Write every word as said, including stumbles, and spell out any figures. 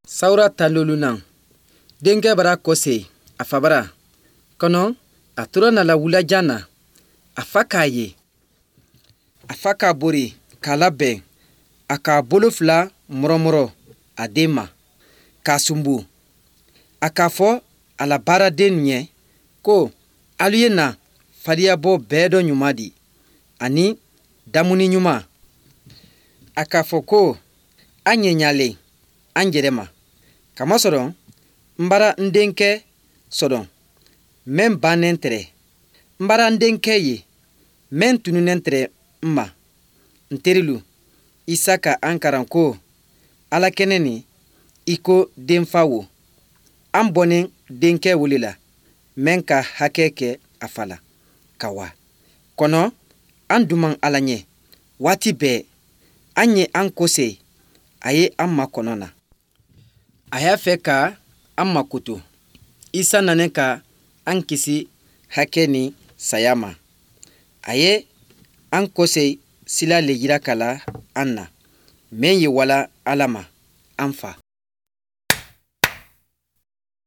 Sawura tan loolunan, denkɛ bara kɔse a fa bara kɔnɔ, a tora nala wulajan na, a fa k'a ye. A fa k'a bori k'a labɛn, a k'a bolo fila mɔrɔmɔrɔ a den ma k'a sunbu. A k'a fɔ a la baaraden ɲɛ ko alu ye na fariyabɔ bɛɛ dɔ ɲuman di ani damuni ɲuman. A k'a fɔ ko an ɲɛɲalen an yɛrɛ ma, kamasɔrɔ n bara n denkɛ sɔrɔ mɛn bannen tɛrɛ, n bara n denkɛ ye mɛn tununnen tɛrɛ n ma. N terilu, Isa ka an karan ko Ala kɛnɛ nin i ko denfa wo, an bɔnnen denkɛ wele la mɛn ka hakɛ kɛ a fa la ka wa kɔnɔ an duman Ala ɲɛ waati bɛɛ. An ye an kose a ye an makɔnɔ na, a y'a fɛ ka an makoto. Isa nanen ka an kisi hakɛ ni saya ma. A ye an kose sila le yira ka la an na mɛn ye wala Ala ma an fa.